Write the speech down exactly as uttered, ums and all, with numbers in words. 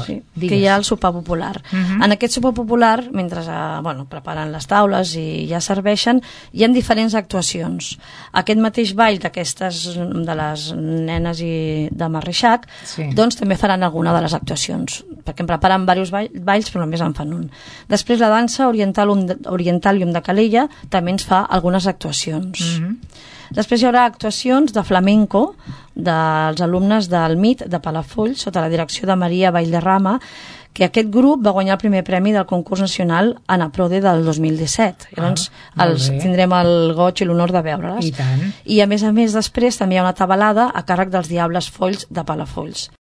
Sí, que hi ha el sopar popular. Uh-huh. En aquest sopar popular, mentre eh, bueno, preparen les taules i ja serveixen, hi ha diferents actuacions. Aquest mateix ball d'aquestes, de les nenes i de Marreixac, sí. doncs també faran alguna de les actuacions, perquè en preparen diversos balls, però només en fan un. Després la dansa Orientalium de, Orientalium de Calella també ens fa algunes actuacions. Uh-huh. Després hi haurà actuacions de flamenco dels alumnes del M I T de Palafolls sota la direcció de Maria Vallderrama, que aquest grup va guanyar el primer premi del concurs nacional Anaprode del dos mil disset. Llavors ah, els, tindrem el goig i l'honor de veure-les. I tant. I a més a més després també hi ha una tabalada a càrrec dels Diables Folls de Palafolls.